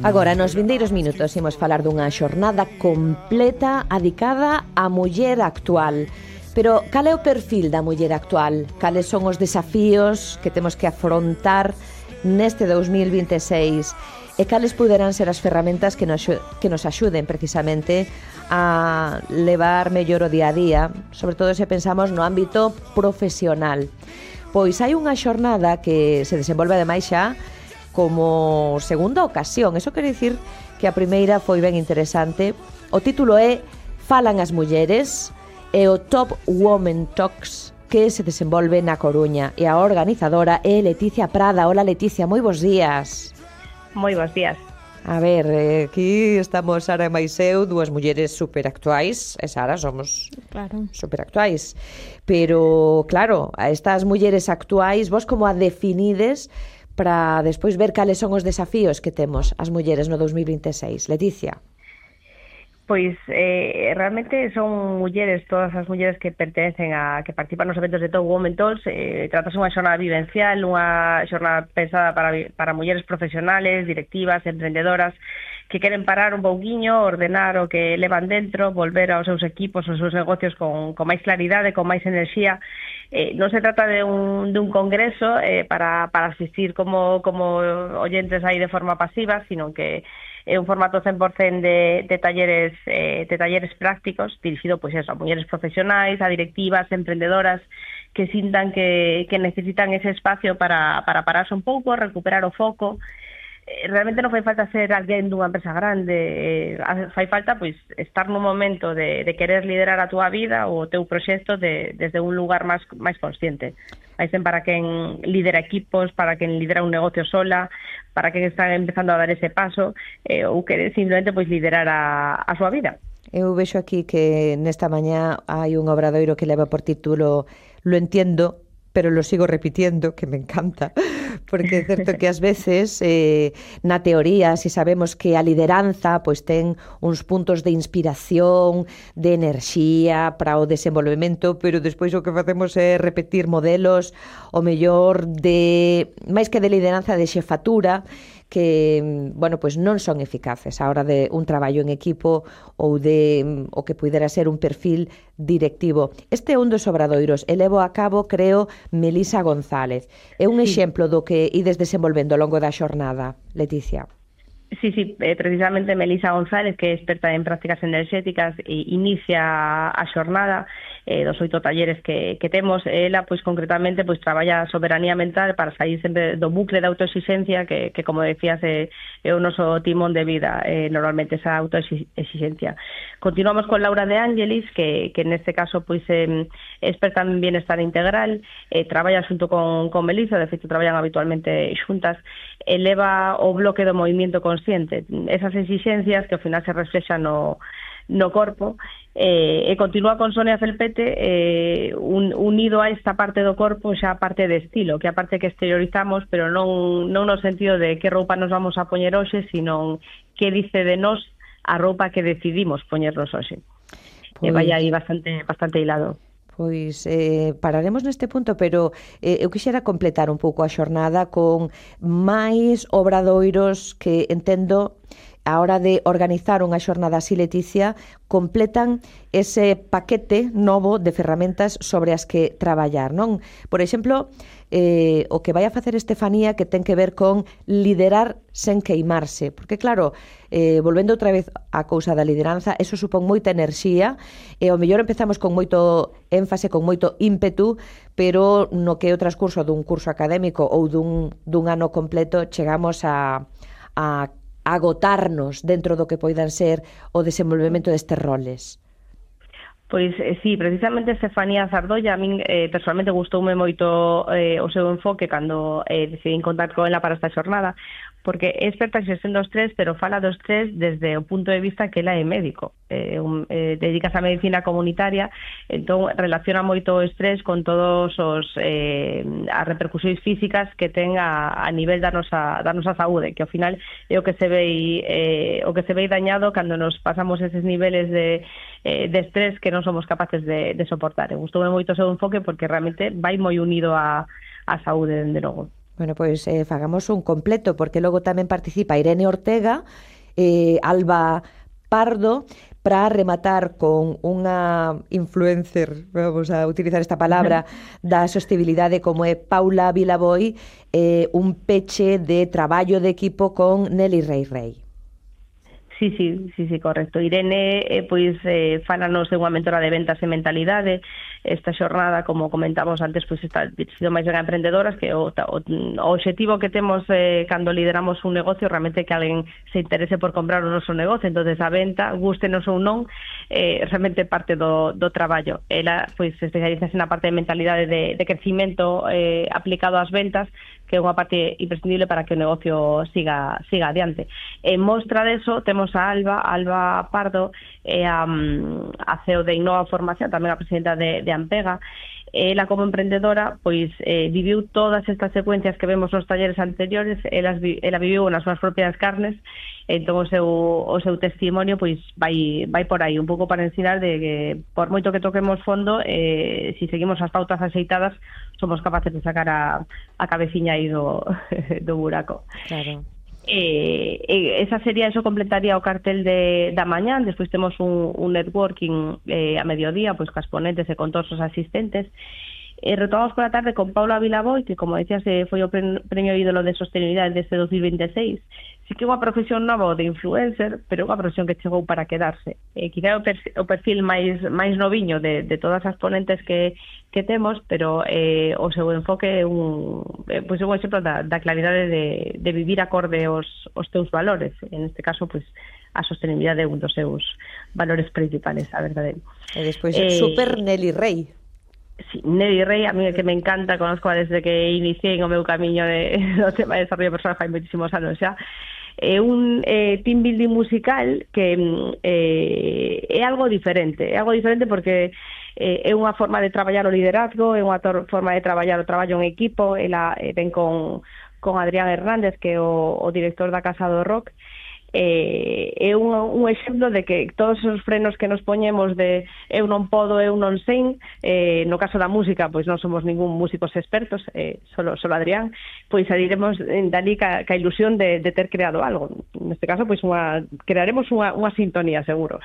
Agora, nos vindeiros minutos, imos falar dunha xornada completa adicada á muller actual. Pero cal é o perfil da muller actual? Cales son os desafíos que temos que afrontar neste 2026? E cales poderán ser as ferramentas que nos axuden precisamente a levar mellor o día a día, sobre todo se pensamos no ámbito profesional? Pois hai unha xornada que se desenvolve ademais xa como segunda ocasión. Eso quere dicir que a primeira foi ben interesante. O título é Falan as mulleres, e o Top Women Talks, que se desenvolve na Coruña, e a organizadora é Leticia Prada. Hola, Leticia, moi bons días. Moi bons días. A ver, aquí estamos Sara e máis eu, dúas mulleres superactuais, e Sara somos superactuais. Pero, claro, a estas mulleres actuais, vos como a definides para despois ver cales son os desafíos que temos as mulleres no 2026? Leticia. Pois realmente son mulleres, todas as mulleres que pertencen que participan nos eventos de Top Women Talks. Tratase unha xornada vivencial, unha xornada pensada para mulleres profesionales, directivas, emprendedoras, que queren parar un pouquiño, ordenar o que levan dentro, volver aos seus equipos, aos seus negocios con máis claridade, con máis enerxía. Non se trata de un congreso para asistir como oyentes aí de forma pasiva, sino que é un formato 100% de talleres prácticos, dirixido pois eso, a mulleres profesionais, a directivas, emprendedoras, que sintan que necesitan ese espacio para pararse un pouco, recuperar o foco. Realmente non fai falta ser alguén dunha empresa grande, fai falta pois estar nun momento de querer liderar a túa vida ou o teu proxecto desde un lugar máis consciente. Vai ser para quen lidera equipos, para quen lidera un negocio sola, para quen está empezando a dar ese paso ou quere simplemente pois liderar a súa vida. Eu vexo aquí que nesta mañá hai un obradoiro que leva por título "Lo entiendo, pero lo sigo repitiendo", que me encanta, porque é certo que ás veces na teoría, si sabemos que a lideranza pois ten uns puntos de inspiración, de enerxía para o desenvolvemento, pero despois o que facemos é repetir modelos, o mellor de máis que de lideranza, de xefatura, que, bueno, pois non son eficaces a hora de un traballo en equipo ou de o que pudera ser un perfil directivo. Este é un dos obradoiros, e levo a cabo, creo, Melisa González. É un exemplo do que ides desenvolvendo ao longo da xornada, Leticia. Sí, precisamente Melisa González, que é experta en prácticas enerxéticas, inicia a xornada dos 8 talleres que temos. Ela, pois concretamente, pois traballa a soberanía mental para sair sempre do bucle de autoexigencia que como decías, é o noso timón de vida, normalmente esa autoexigencia. Continuamos con Laura de Ángelis, que neste caso pois é experta en bienestar integral, traballa xunto con Melisa, de feito traballan habitualmente xuntas, eleva o bloque do movimento consciente, esas exigencias que ao final se reflexan no corpo, e continúa con Sonia Felpete, unido a esta parte do corpo xa a parte de estilo, que é a parte que exteriorizamos, pero non no sentido de que roupa nos vamos a poñer hoxe, sino que dice de nós a roupa que decidimos poñernos hoxe. Pois, vai aí bastante hilado. Pois pararemos neste punto, pero eu quixera completar un pouco a xornada con máis obradoiros que entendo a hora de organizar unha xornada así, Leticia, completan ese paquete novo de ferramentas sobre as que traballar, non? Por exemplo, o que vai a facer Estefanía, que ten que ver con liderar sen queimarse, porque claro, volvendo outra vez á cousa da lideranza, eso supón moita enerxía, e ao mellor empezamos con moito énfase, con moito ímpetu, pero no que é o transcurso dun curso académico ou dun ano completo, chegamos a agotarnos dentro do que poidan ser o desenvolvemento destes roles. Pois sí, precisamente Estefanía Zardolla, a min personalmente gustoume moito o seu enfoque cando decidín contar con ela para esta xornada, porque é experta en xestión do estrés, pero fala do estrés desde o punto de vista que ela é médico, dedicas á medicina comunitaria, entón relaciona moito o estrés con todos as repercusións físicas que ten a nivel da nosa saúde, que ao final é o que se ve dañado cando nos pasamos eses niveles de estrés que non somos capaces de soportar. Gustoume moito o seu enfoque porque realmente vai moi unido á saúde, dende logo. Bueno, pois fagamos un completo, porque logo tamén participa Irene Ortega, Alba Pardo, para rematar con unha influencer, vamos a utilizar esta palabra, da sostenibilidade como é Paula Vilaboi, un peche de traballo de equipo con Nelly Rey. Sí, correcto. Irene, pois, fálanos de unha mentora de ventas e mentalidade. Esta xornada, como comentamos antes, pois está dirigido máis ben a emprendedoras, que o obxectivo que temos cando lideramos un negocio realmente que alguén se interese por comprar o noso negocio. Entonces a venta, gústenos ou non, realmente parte do traballo. Ela, pois, especialízase na parte de mentalidade de crecimento aplicado ás ventas, que é unha parte imprescindible para que o negocio siga adiante. En mostra deso temos a Alba Pardo, a CEO de Innova Formación, tamén a presidenta de Ampega. Ela, como emprendedora, pois viviu todas estas secuencias que vemos nos talleres anteriores. Ela viviu nas súas propias carnes. Entón o seu testimonio pois vai por aí, un pouco para ensinar de que por moito que toquemos fondo, si seguimos as pautas aceitadas, somos capaces de sacar a cabeciña aí do buraco. Claro. Esa sería, eso completaría o cartel da mañán. Despois temos un networking a mediodía, pois cas ponentes e con todos os asistentes. Retomamos pola tarde con Paula Vilaboi, que, como decías, foi o premio ídolo de sostenibilidade deste 2026. Sí que é unha profesión nova de influencer, pero unha profesión que chegou para quedarse. Quizá o perfil máis noviño de todas as ponentes que temos, pero o seu enfoque é un exemplo da claridade de vivir acorde aos teus valores. En este caso, pois, a sostenibilidade é un dos seus valores principales, a verdade. E despois super Nelly Rey. Sí, Nelly Rey, a mí que me encanta, conozco desde que iniciei o meu camiño do tema de desarrollo personal fai moitísimos anos xa. É un team building musical que é algo diferente porque é unha forma de traballar o liderazgo, é unha forma de traballar o traballo en equipo. Ela ven con Adrián Hernández, que é o director da Casa do Rock. É un exemplo de que todos os frenos que nos poñemos de eu non podo, eu non sei, no caso da música, pois non somos ningún músicos expertos, solo Adrián, pois sadiremos dali ca ilusión de ter creado algo. Neste caso, pois crearemos unha sintonía, seguro.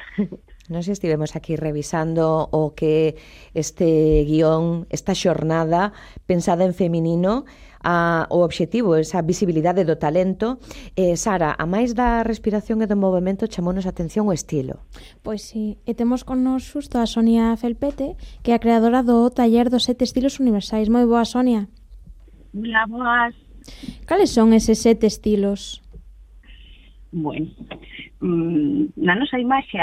Nos estivemos aquí revisando o que este guión, esta xornada pensada en feminino, o obxectivo, esa visibilidade do talento. Sara, a máis da respiración e do movimento, chamounos a atención o estilo. Pois sí, e temos con nos xusto a Sonia Felpete, que é a creadora do taller dos 7 estilos universais. Moi boa, Sonia. Hola, boas. Cales son eses 7 estilos? Bueno, a nosa imaxe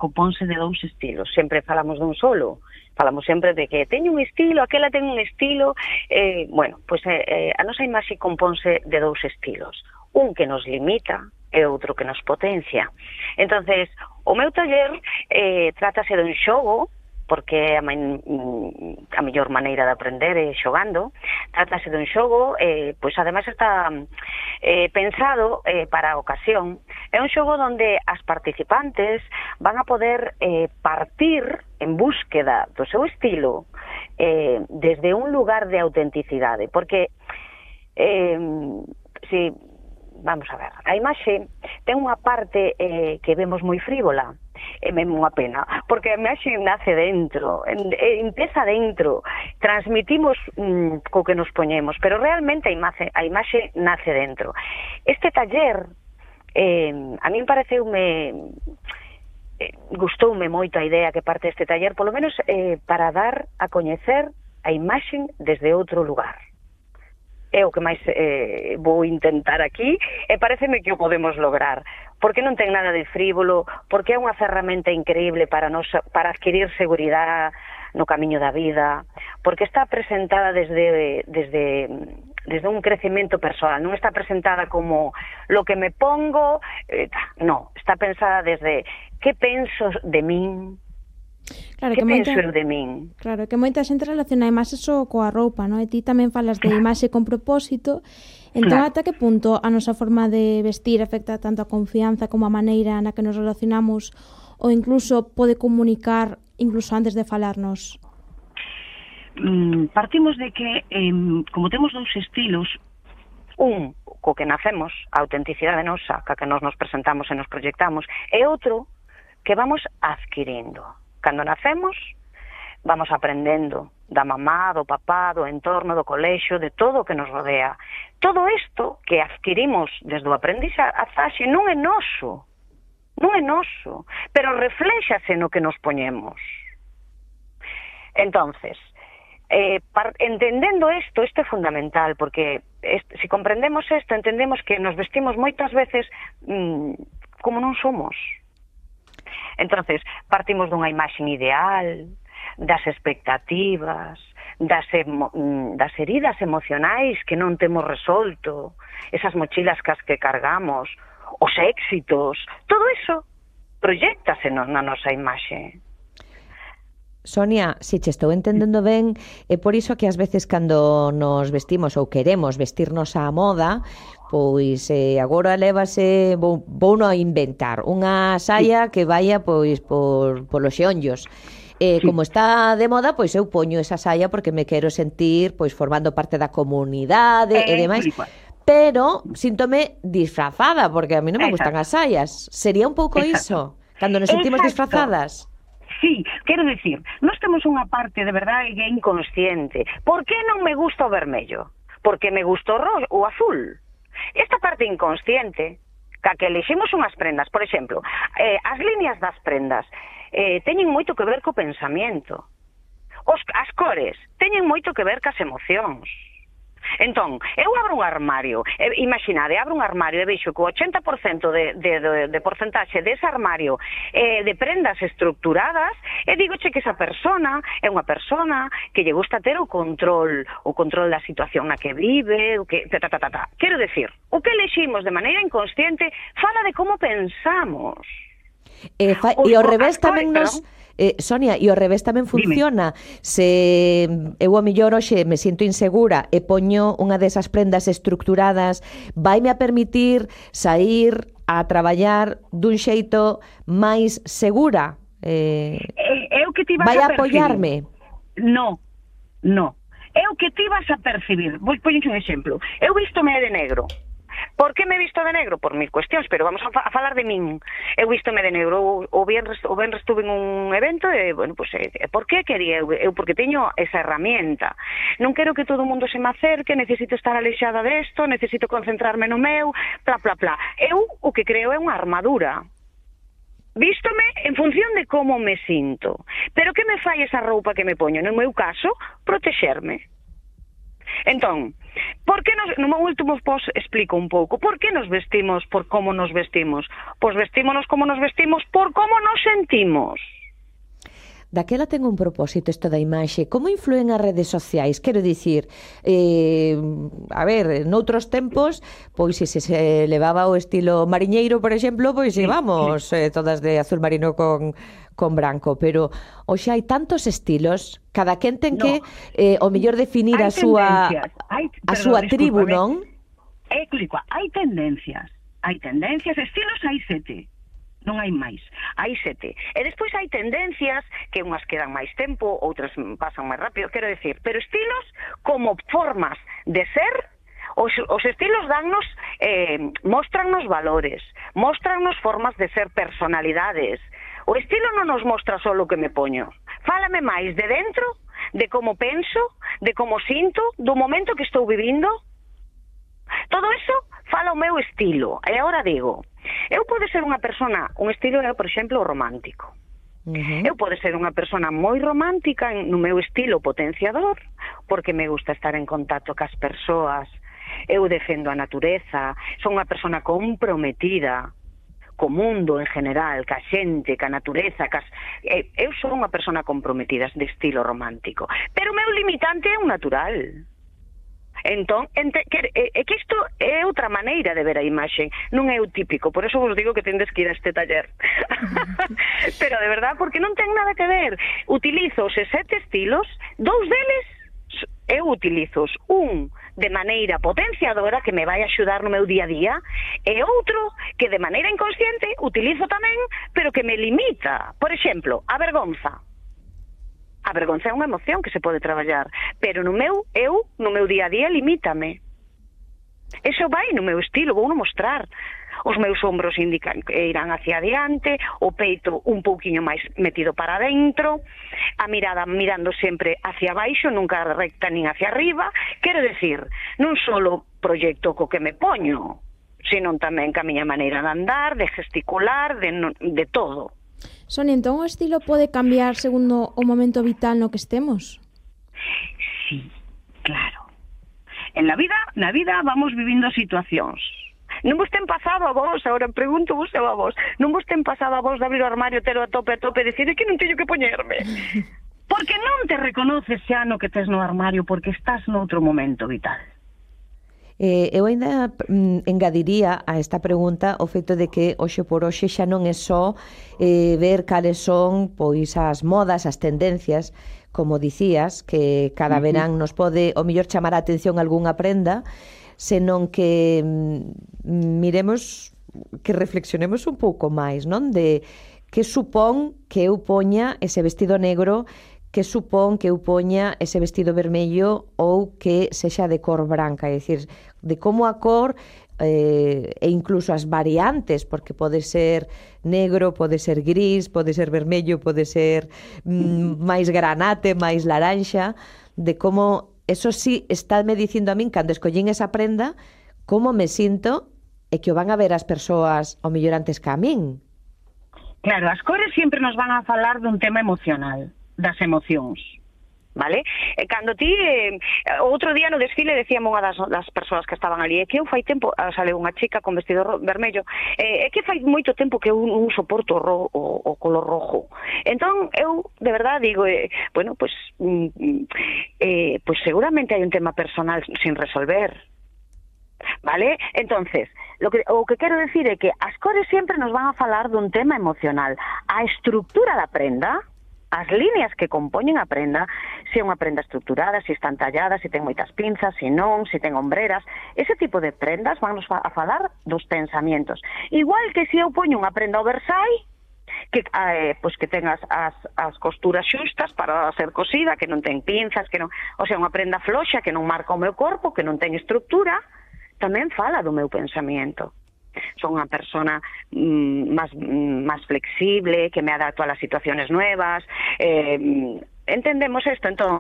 componse de 2 estilos. Sempre falamos dun solo. Falamos sempre de que teño un estilo, aquela ten un estilo. A nosa imaxe componse de 2 estilos. Un que nos limita e outro que nos potencia. Entonces, o meu taller trátase dun xogo, porque a mellor maneira de aprender é xogando. Trátase dun xogo, pois ademais está pensado para a ocasión. É un xogo onde as participantes van a poder partir en búsqueda do seu estilo desde un lugar de autenticidade, porque vamos a ver, a imaxe ten unha parte que vemos moi frívola. É mesmo unha pena, porque a imaxe nace dentro, empeza dentro, transmitimos co que nos poñemos, pero realmente a imaxe nace dentro. Este taller, a min gustoume moito a idea que parte deste taller, polo menos para dar a coñecer a imaxe desde outro lugar. É o que máis vou intentar aquí, e pareceme que o podemos lograr, porque non ten nada de frívolo, porque é unha ferramenta increíble para adquirir seguridade no camiño da vida, porque está presentada desde un crecemento persoal, non está presentada como lo que me pongo, no, está pensada desde que penso de min. Claro, que penso eu de min? Claro, que moita xente relaciona a imaxe só coa roupa, non? E ti tamén falas de imaxe con propósito. Entón, ata que punto a nosa forma de vestir afecta tanto a confianza como a maneira na que nos relacionamos, ou incluso pode comunicar incluso antes de falarnos? Partimos de que, como temos 2 estilos, Un, co que nacemos, a autenticidade nosa, ca que nos presentamos e nos proyectamos, e outro, que vamos adquirindo. Cando nacemos, vamos aprendendo da mamá, do papá, do entorno, do colexio, de todo o que nos rodea. Todo isto que adquirimos desde o aprendizaxe non é noso, pero refléxase no que nos poñemos. Entonces, entendendo isto é fundamental, porque se comprendemos isto, entendemos que nos vestimos moitas veces como non somos. Entonces, partimos dunha imaxe ideal, das expectativas, das heridas emocionais que non temos resolto, esas mochilas que cargamos, os éxitos, todo iso proyéctase na nosa imaxe. Sonia, se che estou entendendo ben, é por iso que ás veces cando nos vestimos ou queremos vestirnos á moda, pois agora lévase, vou non inventar, unha saia que vaya pois polos xeonllos. Como está de moda, pois eu poño esa saia porque me quero sentir pois formando parte da comunidade e demais. Pero síntome disfrazada, porque a mí non me gustan as saias. Sería un pouco iso, cando nos sentimos disfrazadas. Sí, quero dicir, nós temos unha parte de verdade que é inconsciente. Por que non me gusta o vermello? Porque me gusta o azul. Esta parte inconsciente, que eleximos unhas prendas, por exemplo, as líneas das prendas teñen moito que ver co pensamento. As cores teñen moito que ver cas emocións. Entón, eu abro un armario, imaginade, abro un armario e vexo que o 80% de porcentaxe dese armario de prendas estructuradas, e digoche que esa persona é unha persona que lle gusta ter o control da situación na que vive, o que Quero decir, o que eleximos de maneira inconsciente fala de como pensamos. E ao revés tamén nos... Sonia, e ao revés tamén funciona. Dime. Se eu ao mellor hoxe me sinto insegura e poño unha desas prendas estructuradas, vaime a permitir sair a traballar dun xeito máis segura? Eu que ti vas vai a apoiarme? No. Eu que ti vas a percibir. Vou poñer un exemplo. Eu vístome de negro. Por que me visto de negro? Por mil cuestións, pero vamos a falar de min. Eu vístome de negro, o venres estuve en un evento e, bueno, pues, por que quería eu? Porque teño esa herramienta. Non quero que todo o mundo se me acerque, necesito estar alexada desto, necesito concentrarme no meu, bla. Eu o que creo é unha armadura. Vístome en función de como me sinto. Pero que me fai esa roupa que me poño? No meu caso, protexerme. Entón, por que no meu último post explico un pouco por que nos vestimos por como nos vestimos. Pois vestímonos como nos vestimos por como nos sentimos. Daquela ten un propósito isto da imaxe. Como influen as redes sociais? Quero dicir, a ver, noutros tempos, pois se levaba o estilo mariñeiro, por exemplo, pois íbamos todas de azul marino con branco, pero hoxe hai tantos estilos, cada quen ten que o mellor definir a súa tribu, non? Hai tendencias, estilos hai 7. Non hai máis, hai 7. E despois hai tendencias que unhas quedan máis tempo, outras pasan máis rápido, quero decir, pero estilos como formas de ser. Os estilos dannos, mostrarnos valores, mostrarnos formas de ser, personalidades. O estilo non nos mostra só o que me poño. Fálame máis de dentro, de como penso, de como sinto, do momento que estou vivindo. Todo eso fala o meu estilo. E agora digo, eu podo ser unha persona, un estilo é, por exemplo, romántico. Eu podo ser unha persona moi romántica no meu estilo potenciador, porque me gusta estar en contacto cas persoas, eu defendo a natureza, son unha persona comprometida co mundo en general, ca xente, ca natureza, eu son unha persona comprometida de estilo romántico, pero o meu limitante é un natural. Entón, é que isto é outra maneira de ver a imaxe, non é o típico, por eso vos digo que tendes que ir a este taller. Pero de verdad, porque non ten nada que ver. Utilizo os 7 estilos, 2 deles eu utilizo un de maneira potenciadora que me vai axudar no meu día a día, e outro que de maneira inconsciente utilizo tamén, pero que me limita. Por exemplo, a vergonza. A vergonza é unha emoción que se pode traballar, pero no meu día a día limítame. Eso vai no meu estilo, vou no mostrar. Os meus ombros indican que irán hacia adiante, o peito un pouquiño máis metido para dentro, a mirada mirando sempre hacia baixo, nunca recta nin hacia arriba. Quero decir, non solo proxecto co que me poño, sino tamén ca miña maneira de andar, de gesticular, de todo. Sonia, entón o estilo pode cambiar segundo o momento vital no que estemos? Sí, claro. En la vida vamos vivindo situacións. Non vos ten pasado a vos, agora pregunto vos a vos, non vos ten pasado a vos de abrir o armario, telo a tope e decir que non teño que poñerme? Porque non te reconoces xa no que tes no armario, porque estás noutro momento vital. Eu ainda engadiría a esta pregunta o feito de que hoxe por hoxe xa non é só ver cales son pois as modas, as tendencias, como dicías, que cada verán nos pode o mellor chamar a atención algunha prenda, senón que miremos, que reflexionemos un pouco máis, non? De que supón que eu poña ese vestido negro, que supón que eu poña ese vestido vermello ou que sexa de cor branca, é dicir, de como a cor e incluso as variantes, porque pode ser negro, pode ser gris, pode ser vermello, pode ser máis granate, máis laranxa, de como eso sí estáme dicindo a min, cando escollín esa prenda, como me sinto e que o van a ver as persoas ao mellor antes que a min. Claro, as cores sempre nos van a falar dun tema emocional, das emocións, vale? E cando ti, outro día no desfile decíamos unha das persoas que estaban ali, é que eu fai tempo, sale unha chica con vestido vermello, é que fai moito tempo que eu non soporto o color rojo. Entón, eu, de verdade, digo, bueno, pues seguramente hai un tema personal sin resolver, vale? Entonces, o que quero decir é que as cores sempre nos van a falar dun tema emocional. A estructura da prenda, as líneas que compoñen a prenda, se é unha prenda estructurada, se están talladas, se ten moitas pinzas, se non, se ten ombreras, ese tipo de prendas van a falar dos pensamientos. Igual que se eu poño unha prenda oversize, que ten as costuras xustas para ser cosida, que non ten pinzas, que non, o sea, unha prenda floxa que non marca o meu corpo, que non ten estructura, tamén fala do meu pensamento. Son unha persona máis flexible, que me adapto a las situaciones nuevas. Entendemos isto, entón,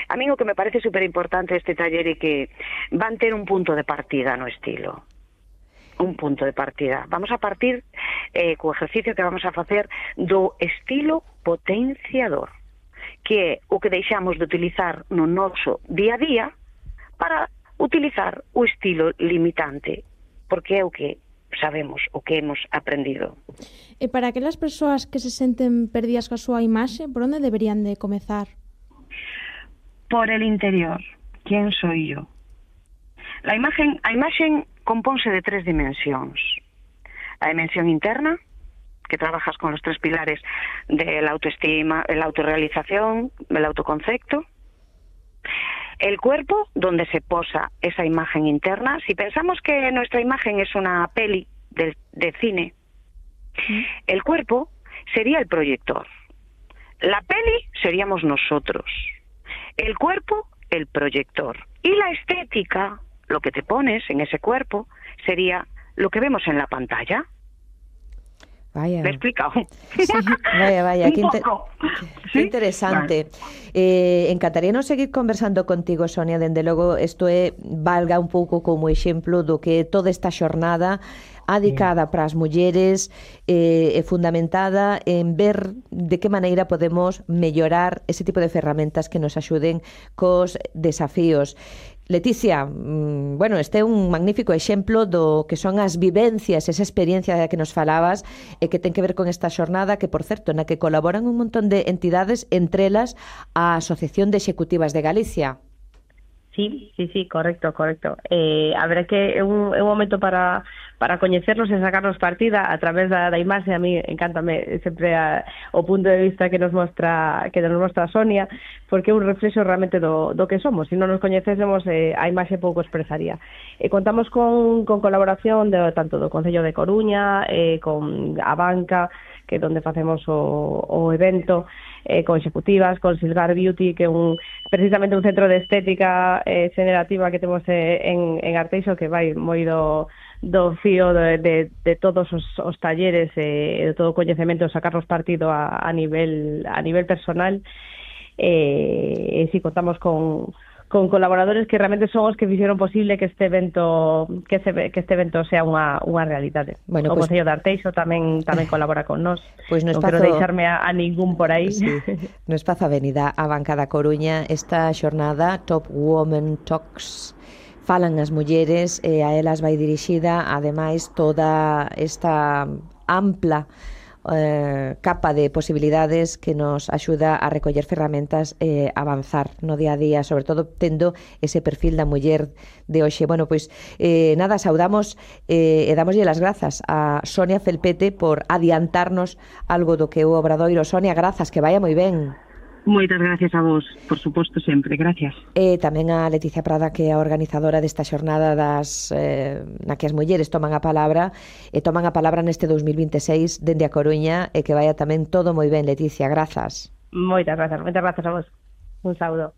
a mí o que me parece super importante este taller é que van ter un punto de partida no estilo. Un punto de partida. Vamos a partir co exercicio que vamos a facer do estilo potenciador, que é o que deixamos de utilizar no noso día a día para utilizar o estilo limitante, porque é o que sabemos, o que hemos aprendido. E para aquelas persoas que se senten perdidas coa súa imaxe, por onde deberían de comezar? Por el interior. ¿Quién soy yo? A imaxe compónse de 3 dimensións. A dimensión interna, que trabajas con los 3 pilares de la autoestima, la autorrealización, el autoconcepto. El cuerpo, donde se posa esa imagen interna. Si pensamos que nuestra imagen es una peli de cine, el cuerpo sería el proyector. La peli seríamos nosotros. El cuerpo, el proyector. Y la estética, lo que te pones en ese cuerpo, sería lo que vemos en la pantalla. Vaya. ¿Me he explicado? Sí, vaya, qué interesante. Encantaríanos seguir conversando contigo, Sonia, dende logo isto valga un pouco como exemplo do que toda esta xornada adicada para as mulleres é fundamentada en ver de que maneira podemos mellorar ese tipo de ferramentas que nos axuden cos desafíos. Leticia, bueno, este é un magnífico exemplo do que son as vivencias, esa experiencia que nos falabas e que ten que ver con esta xornada que, por certo, na que colaboran un montón de entidades, entre elas a Asociación de Executivas de Galicia. Sí, correcto. A ver, que é un momento para coñecernos e sacarnos partida a través da imaxe. A mí encántame sempre o punto de vista que nos mostra Sonia, porque é un reflexo realmente do que somos. Se non nos coñecésemos, a imaxe pouco expresaría. Contamos con colaboración tanto do Concello de Coruña, con a banca, que é onde facemos o evento, con executivas, con Silgar Beauty, que é precisamente un centro de estética generativa que temos en Arteixo, que vai moi do fío de todos os talleres e de todo o coñecemento, sacarlos partido a nivel personal. E si contamos con colaboradores que realmente son os que fixeron posible que este evento sea unha realidade. Bueno, o Concello de Arteixo tamén colabora con nós. Pois no non espazo... quero deixarme a ningún por aí. Sí. No Espazo Avenida a Banca da Coruña, esta xornada Top Women Talks, falan as mulleres e a elas vai dirixida ademais toda esta ampla capa de posibilidades que nos axuda a recoller ferramentas e avanzar no día a día, sobre todo tendo ese perfil da muller de hoxe. Bueno, pois nada, saudamos e damoslle as grazas a Sonia Felpete por adiantarnos algo do que é o Obradoiro. Sonia, grazas, que vaya moi ben. Moitas gracias a vos, por suposto, sempre, gracias. E tamén a Leticia Prada, que é a organizadora desta xornada na que as mulleres toman a palabra neste 2026 dende a Coruña, e que vaya tamén todo moi ben, Leticia, grazas. Moitas grazas a vos. Un saúdo.